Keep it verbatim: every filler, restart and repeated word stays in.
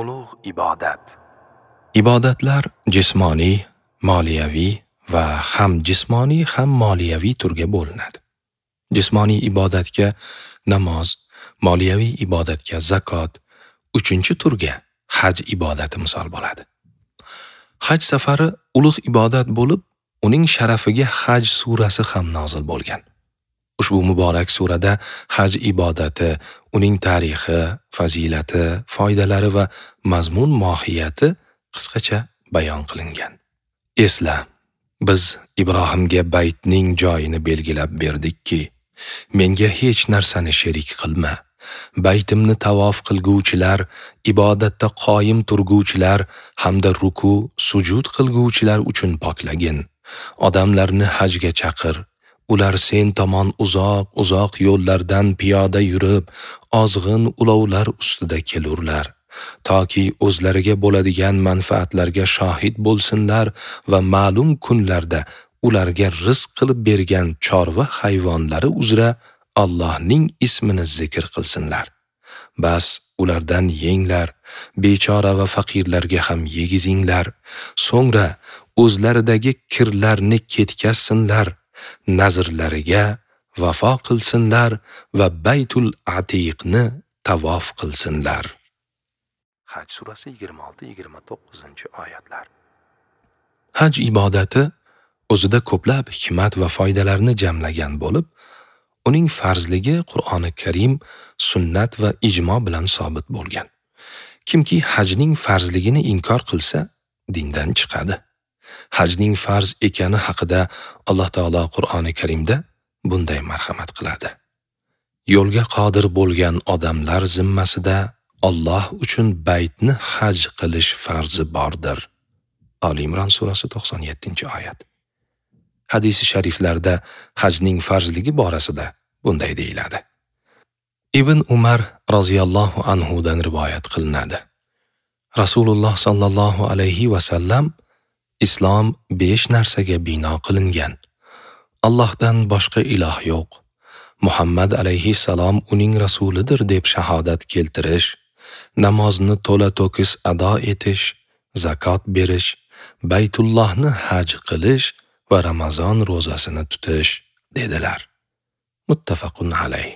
Ulug' ibodat. Ibodatlar jismoniy, moliyaviy va ham jismoniy, ham moliyaviy turga bo'linadi. Jismoniy ibodatga namoz, moliyaviy ibodatga zakot, uchinchi turga haj ibodati misol bo'ladi. Haj safari ulug' ibodat bo'lib, uning sharafiga Haj surasi ham nozil bo'lgan. Ushbu muborak surada haj ibodati, uning tarixi, fazilati, foydalari va mazmun mohiyati qisqacha bayon qilingan. Esla, biz Ibrohimga baytning joyini belgilab berdikki, menga hech narsani sherik qilma. Baytimni tavof qilguvchilar, ibodatda qoyim turguvchilar hamda ruku, sujud qilguvchilar uchun poklagin. Odamlarni hajga chaqir. Ular sen tomon uzoq-uzoq yo'llardan piyoda yurib, ozg'in ulovlar ustida kelurlar, toki o'zlariga bo'ladigan manfaatlarga shohid bo'lsinlar va ma'lum kunlarda ularga rizq qilib bergan chorva hayvonlari uzra Allohning ismini zikr qilsinlar. Bas ulardan yenglar, bechora va faqirlarga ham yegizinglar. So'ngra o'zlaridagi kirlarni ketkazsinlar, nazrlariga vafo qilsinlar va Baytul Atiqni tavof qilsinlar. Haj surasi yigirma olti yigirma to'qqizinchi oyatlar. Haj ibodati o'zida ko'plab hikmat va foydalarni jamlagan bo'lib, uning farzligi Qur'oni Karim, sunnat va ijmo bilan sobit bo'lgan. Kimki hajning farzligini inkor qilsa, dindan chiqadi. Hajning farz ekani haqida Alloh taolo Qur'oni Karimda bunday marhamat qiladi. Yo'lga qodir bo'lgan odamlar zimmasida Alloh uchun baytni haj qilish farzi bordir. Ali Imron surasi to'qson yettinchi oyat. Hadisi shariflarda hajning farzligi borasida bunday deyiladi. Ibn Umar roziyallohu anhu dan rivoyat qilinadi. Rasululloh sallallohu alayhi va sallam Islom besh narsaga bino qilingan. Allohdan boshqa iloh yo'q. Muhammad alayhissalom uning rasulidir deb shahodat keltirish, namozni to'la-to'kis ado etish, zakot berish, Baytullohni haj qilish va Ramazon ro'zasini tutish dedilar. Muttafaqun alayh.